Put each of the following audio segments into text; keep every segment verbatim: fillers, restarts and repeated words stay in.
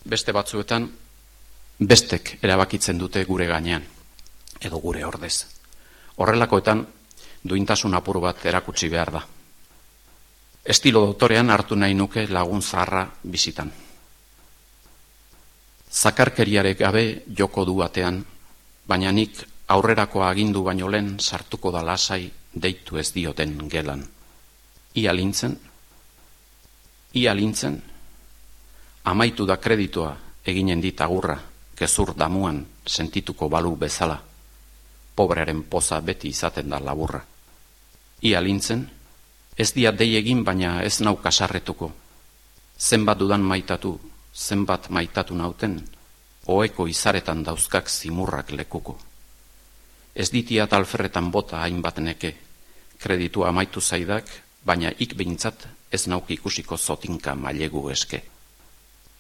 beste batzuetan bestek erabakitzen dute gure gainean, edo gure ordez. Horrelakoetan duintasun apur bat erakutsi behar da. Estilo dotorean hartu nahi nuke lagun zaharra bizitan. Zakarkeriarek gabe joko du atean, baina nik aurrerako agindu baino lehen sartuko da lasai deitu ez dioten gelan. Ia lintzen, ia lintzen, amaitu da kreditoa eginen dit agurra, gezur damuan sentituko balu bezala, pobrearen poza beti izaten da laburra. Ia lintzen, ez dia dei egin baina ez nau kasarretuko, zenbat dudan maitatu, zenbat maitatu nauten, oheko izaretan dauzkak zimurrak lekuko. Ez ditiat alferretan bota hainbat neke, kreditua amaitu zaidak, baina ik behintzat ez nauk ikusiko zotinka mailegu eske.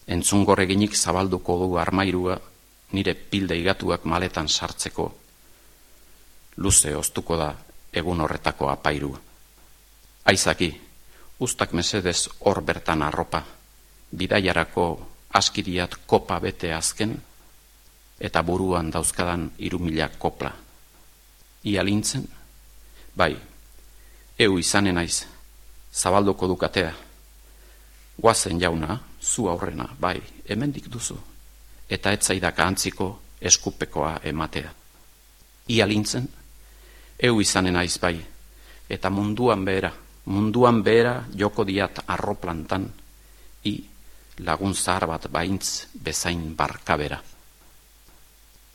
Entzungor eginik zabalduko du armairua, nire pilde igatuak maletan sartzeko, luze oztuko da egun horretako apairua. Aizaki, ustak mesedez hor bertan arropa, bidaiarako askiriat kopa bete azken, eta buruan dauzkadan irumila kopla. Ia lintzen, bai, eu izanen naiz, zabalduko dukatea. Guazen jauna, zu aurrena, bai, hemendik duzu, eta etzaidaka antziko eskupekoa ematea. Ia lintzen, eu izanen naiz bai, eta munduan behera, munduan behera joko diat arroplantan, i lagun zahar bat baintz bezain barkabera.